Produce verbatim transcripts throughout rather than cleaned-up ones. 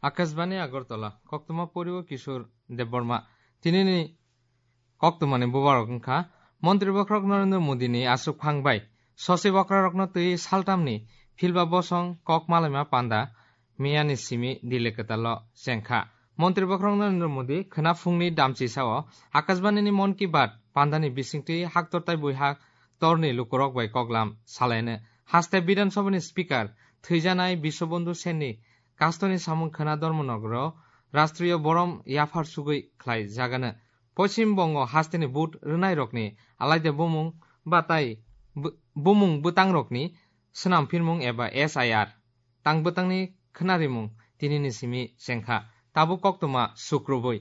Akashbani Agartala, koktwma poriwo Kishore Debbarma. Tinini koktwmani bubarok wngkha, Montri bokhorok Narendra Modi ni aswk phang bai sosi bokrarokno twi saltamni philba bosong kok malaima panda miyani simi Delhi kwtalo chengkha. Montri bokhorok Narendra Modi khwna phungni damchi sao Akashbani ni Mon Ki Baat pandani bisingtwi haktortai buiha torni lukurok bai koklam salaino. Haste Bidhan Sabha ni Speaker thwijanai Biswabandhu Sen ni kastoni samung khwna dormonogro Rashtriyo Borom yaphar sugwi khlai jagano. Poschim Bongo hasteni vote rwnairokni alaida bumung batai bu-, bumung bwtangrokni swnam phirmung eba S I R tang bwtangni khwnarimung tinini simi chengkha. Tabuk koktwma sukrubui.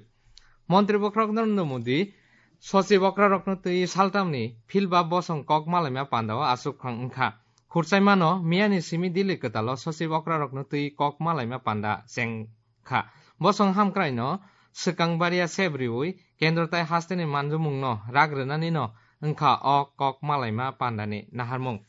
Montri bokhorok Narendra Modi sosi bokrarokno twi saltamni philba bosong kok malaima pandao aswk phang wngkha. Khurchaimano miyani simi Delhi kwtalo sosi bokrarokno twi kok malaima panda cheng kha. Bosong hamkraino swkang baria sep riui kendro tai hasteni manjumungno rak rwnanino wngkha o kok malaima pandani naharmung.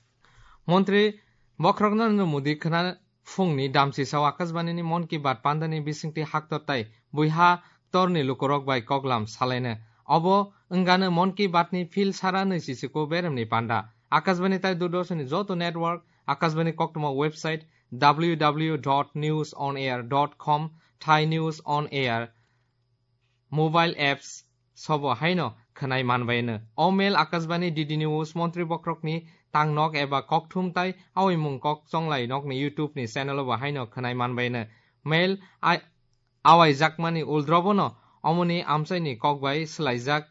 Montri bokhorok Narendra Modi khwna phungni damchisao Akashbanini Mon Ki Baat pandani bisingtwi haktor tai buiha torni lukurok bai koklam salaino. Obo wngano Mon Ki Baatni phil sara nwi chisiko beremni panda. Akashbani tai Doordarshanni joto network, Akashbani koktwma website, W W W dot news on air dot com, Thai News on Air, mobile apps sobo haino khwnai manbaino. O mail Akashbani D D News Montri bokhorokni tangnok eba kokthum tai aoimung kok chonglai nokni YouTube ni channel bo haino khwnai manbaino. Mail ai-, awaijakmani uldrobono omoni amchaini kokbai swlaijak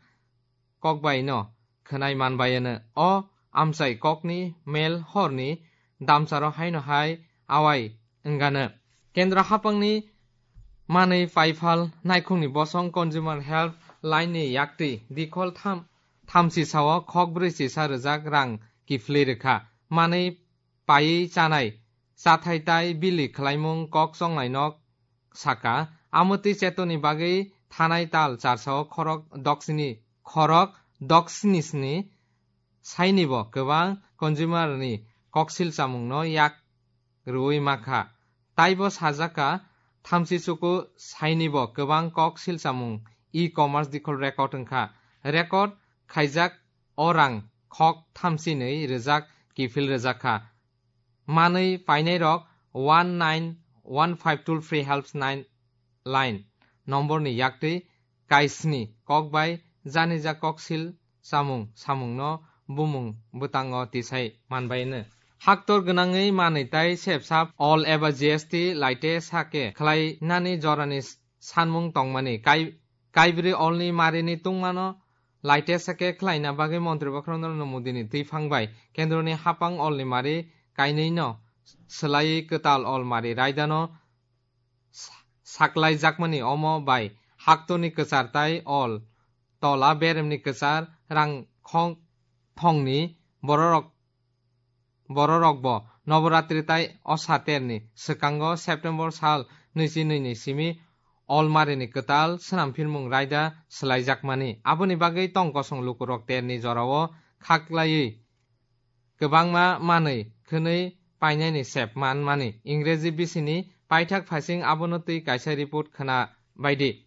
kokbaino khwnai manbaino. O amchai kokni mail horni damcharo haino hai awai wngano. Kendra hapangni manwi paiphal naikhungni bosong Consumer Help Line ni yaktwi dikhol tham, thamchi sao khok brwi chisa rwjak rang kiphilwi rwkha. Manwi paiwi chanai, chathai tai bili khwlaimung kok chonglai nok saka, amwtwi chetoni bagwi thanai tal charsao khorok doksini, khorok doksini sni sainibo kwbang consumer ni koksil chamungno yak rwui makha. Taibo sajaka, thamchi chuku sainibo kwbang koksil chamung e-commerce dikhol record wngkha. Record khaijak o rang khok thamchinwi rwjak kiphil rwjakha. Manwi painairok one nine one five toll free helps nine line nomborni yaktwi kaisni kokbai janija koksil chamung samungno bumung bwtango tisai manbaino. Haktor gwnangwi manwi tai sepsap ol eba G S T laite sake khlainani jorani sanmung tongmani kai-, kaibrwi olni marini tungmano laite sake khlaina bagwi Montri bokhorok Narendra Modini twiphang bai kendroni hapang olni mari kainwino swlaiwi kwtal ol mari raidano sa-, saklaijakmani omo bai haktorni kwchar tai ol tola beremni kwchar rang khong thongni bororok, bororokbo Noboratri tai Osa terni swkango September sal nwichi nwi ni simi olmarini kwtal swnamphirmung raida swlaijakmani. Aboni bagwi tong kosong lukurok terni jorao khaklaiwi kwbangma manwi khwnwi painaini sep manmani. Ingreji bisini paithak phaising abono twi kaisa report khwna baidi.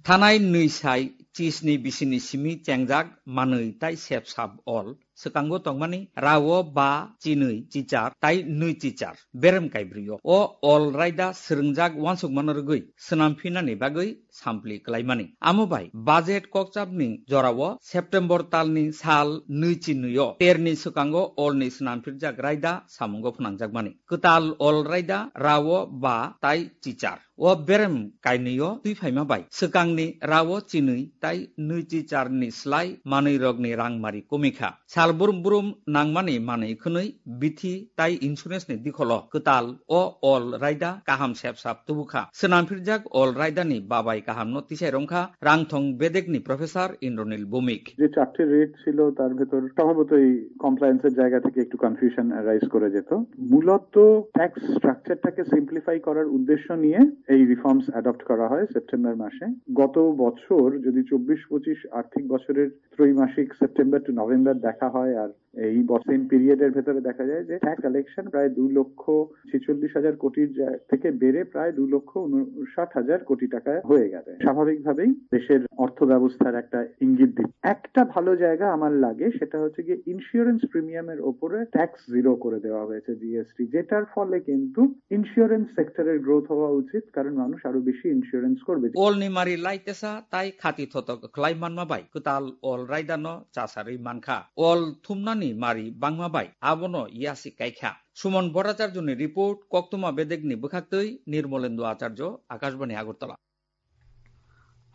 Thanai nwi sai chisni bisini simi chengjak manwi tai sep sap ol swkango tongmani rao ba chinwi chichar tai nwi chichar berem kaibrio. O ol raida swrwngjak uansukmano rwgwi swnam phinani bagwi sampli klaimani. Amo bai budget kokchapni jorao September talni sal nwi chinwi o terni swkango olni swnam phirjak raida samungo phnangjakmani. Kwtal ol raida rao ba tai chichar. O berem kainwio twi phaima bai swkangni rao chinwi tai nwi chicharni slai manwirokni rangmari komikha. Sal brum brum nangmani manwi khwnwi bithi tai insurance ni dikholo kwtal o ol raida kaham sep sap tubukha. Swnam phirjak ol raida ni babai kaham no tisai romkha rangthong bedek ni professor Indranil Bhowmik. যে চারটে রেট ছিল, তার ভেতর সম্ভবত এই কমপ্লায়েন্সের জায়গা থেকে একটু কনফিউশন অ্যারাইজ করে যেত। মূলত ট্যাক্স স্ট্রাকচারটাকে সিম্পলিফাই করার উদ্দেশ্য নিয়ে এই রিফর্মস অ্যাডপ্ট করা হয় সেপ্টেম্বর মাসে। গত বছর যদি চব্বিশ পঁচিশ আর্থিক বছরের ত্রৈমাসিক, সেপ্টেম্বর টু নভেম্বর দেখা হয় আর এই সেম পিরিয়ডের ভেতরে দেখা যায় যে ট্যাক্স কালেকশন প্রায় দুই লক্ষ ছেচল্লিশ হাজার কোটির জা-, থেকে বেড়ে প্রায় দুই লক্ষ ঊনষাট হাজার কোটি টাকা হয়ে গেছে। স্বাভাবিকভাবেই দেশের অর্থ ব্যবস্থার একটা ইঙ্গিত দিচ্ছে। একটা ভালো জায়গা আমার লাগে, সেটা হচ্ছে গিয়ে ইন্স্যুরেন্স প্রিমিয়ামের ওপরে ট্যাক্স জিরো করে দেওয়া হয়েছে, জিএসটি, যেটার ফলে কিন্তু ইন্স্যুরেন্স সেক্টরের গ্রোথ হওয়া উচিত, কারণ মানুষ আরো বেশি ইন্স্যুরেন্স করবে। Olni mari laitesa tai khati thotok khlai manma bai kwtal ol raidano chasarwi mankha. Ol thumnani mari bangma bai abono yasi kaikha. Suman Bhattacharjoni report, Koktwma Bedekni bwkhaktwi Nirmolendra Acharya, Akashbani Agartala.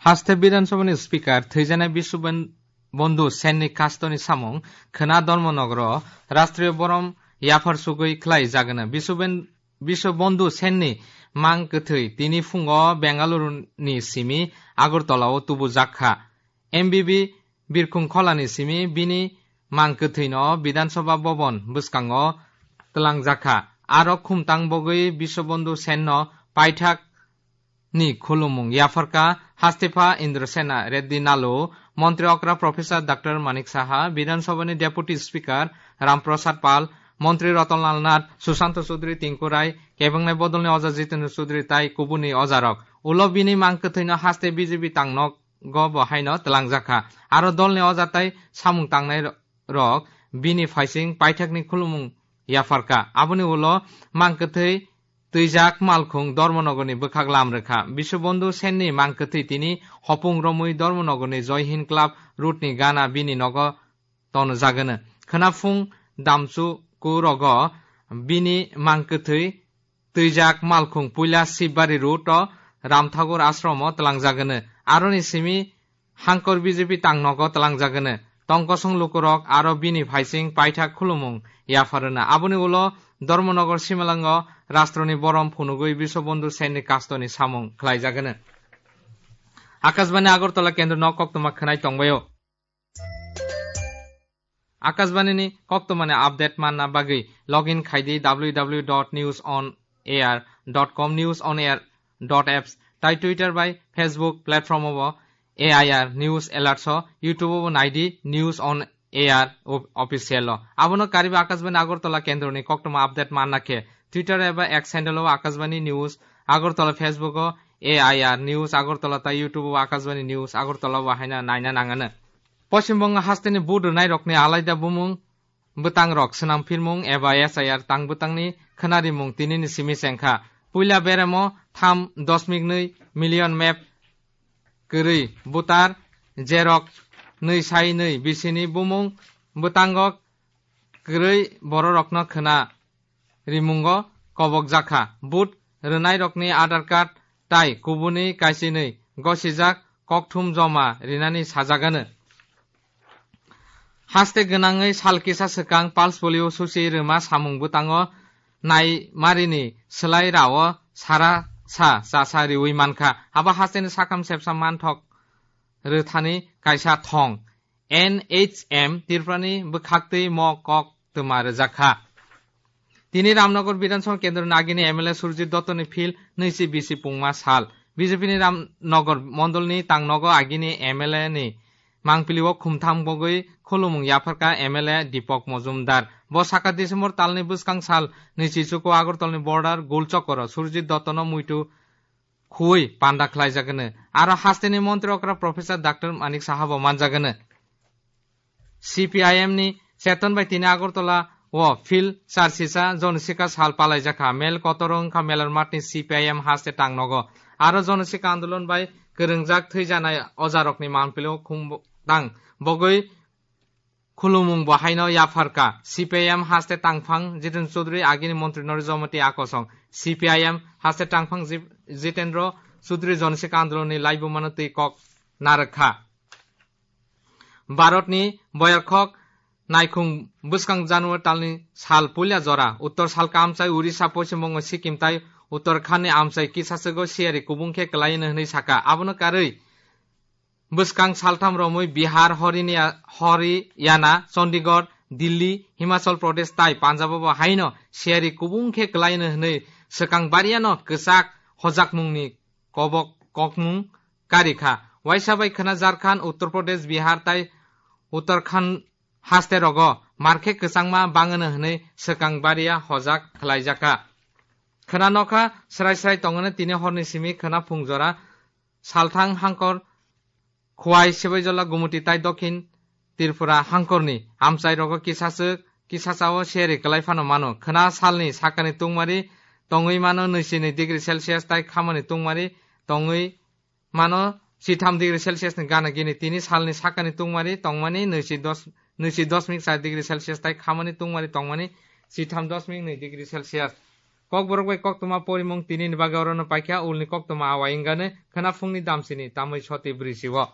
Haste Bidhan Sabhani Speaker thwijana Biswabandhu Senni kastoni samung khwna Dharmanagar o Rashtriya Borom yaphar sugwi khlai jagwna. Biswaben-, Biswabandhu Senni mang kwthwi tini phungo Bengaluru ni simi Agartala o tubu jakha. M B B Birkhung Kholani simi bini mang kwthwino Bidhan Sabha Bhavan bwskango twlangjakha. Aro khumtang bogwi Biswabandhu Senno paithak ni khulumung yapharkha Hastepha Indrasena Reddy Nalu, Montri okra Professor Doctor Manik Saha, Bidhan Sabhani Deputy Speaker Ram Prasad Pal, Montri Ratan Lal Nath, Sushanta Chaudhary, Tinku Rai, kebengnai bodolni oja Jitendra Chaudhary tai kubuni ojarok. Ulo bini mang kwthwino haste B J P tangnogo bo haino twlangjakha. Aro dolni oja tai samung tangnai rok bini phaising paithakni khulumung yapharkha. Aboni ulo mang kwthwi twijak malkhung Dharmanagarni bwkhak lam rwkha. Biswabandhu Senni mang kwthwi tini hopung romwi Dharmanagarni Joy Hind Club road ni gana bini nogo tonjagwno. Khwnaphung damchuku rogo bini mang kwthwi twijak malkhung puila Sibari road o Ram Thakur ashram o twlangjagwno. Aroni simi Hangkor B J P tangnogo twlangjagwno. Tongkosong lukurok aro bini phaising paithak khulumung yapharwna. Aboni ulo Dharmanagar simalango Rashtroni Borom phunugwi Biswabandhu Senni kastoni samung khlaijagwno. Akashbani Agartala kendro no koktwma khwnai tongbaio. Akashbani ni koktwmani update manna bagwi login khaidi W W W dot news on air dot com, news on air dot apps, tai Twitter bai Facebook platform o bo A I R News Alerts o, YouTube o bo naidi News on A R o-, official o. Abono kariba Akashbani Agartala kendroni koktwma update manna khe Twitter eba X handle o Akashbani News Agartala, Facebook o A I R News Agartala tai YouTube o Akashbani News Agartala bo haina naina nangano. Poschim Bongo hasteni vote rwnairokni alaida bumung bwtangrok swnam phirmung eba S I R tang bwtangni khwnarimung tinini simi chengkha. Puila beremo tham dosmik nwi million map kwrwi voter, jerok nwi sai nwi bisini bumung bwtango kwrwi bororokno khwna rimungo kobokjakha. Vote rwnairokni Aadhaar card tai kubuni kaisinwi gosijak kokthum joma rinani sajagano. Haste gwnangwi sal kisa swkang pulse polio susi rwma samung bwtango naimarini swlai rao sara sa chasa riwi mankha. Abo hasteni sakam sepsa manthok rwthani kaisa thong. N H M Tripurani bwkhaktwi mo kok twma rwjakha. Tini Ramnagar Bidhan Sabha Kendroni agini M L A Surjit Dottoni phil nwichi bisi pungma sal. B J P ni Ramnagar Mondolni tangnogo agini M L A ni mangpilio khumtham bogwi khulumung yapharkha M L A Deepak Majumdar. Bo saka December talni bwskang sal nwichi chuko Agartalni border Gulchokoro Surjit Dottono muitu khuwi panda khlaijagwno. Aro hasteni montri okra Professor Doctor Manik Saha bo manjagwno. C P I M ni Cheton bai tini Agartala o phil charsisa jonosika sal palaijakha. Mel kotor wngkha Melarmath ni C P I M haste tangnogo. Aro jonosika andolon bai kwrwngjak thwijanai ojarokni mangpilio khum tang bogwi khulumung bo haino yapharkha. C P I M haste tangphang Jiten Chaudhary, agini montri Narendra Modi akosong. C P I M haste tangphang Jip-, Jitendra Chaudhary jonosika andolonni laibumano twi kok narwkha. Bharatni boyarkhok naikhung bwskang January talni sal puila jora Uttor salka amchai Orissa, Poschim Bongo, Sikkim tai Uttarakhand ni amchai kisaswgo siyari kubung khe kwlaino hwnwi sakha. Abono karwi bwskang saltham romwi Bihar, Horinia-, Haryana, Chandigarh, Delhi, Himachal Pradesh tai Punjab o bo haino siyari kubung khe kwlaino hwnwi swkang bariano kwchak hojakmungni kobok kokmung karikha. Waisa bai khwna Jharkhand, Uttar Pradesh, Bihar tai Uttarakhand haste rogo markhe kwchangma bangwno hwnwi swkang baria hojak khlaijakha. Khwna nokha srai srai tongwno tini horni simi khwna phung jora salthang hangkor Khwai, Sibaijala, Gumuti tai Dokhin Tripura hangkorni amchairogo kisaswk kisasao seri kwlai phano mano. Khwna salni sakani tungmari tongwi mano nwichi nwi degree Celsius tai khamani tungmari tongwi mano sitham degree Celsius ni gana gini. Tini salni sakani tungmari tongmani nwichi dos, nwichi dosmik char degree Celsius tai khamani tungmari tongmani sitham dosmik nwi degree Celsius. Kokborok bai koktwma porimung tinini bagwi orono paikha, ulni koktwma awai wngani khwna phungni damsini tamwi soti brwi si-o.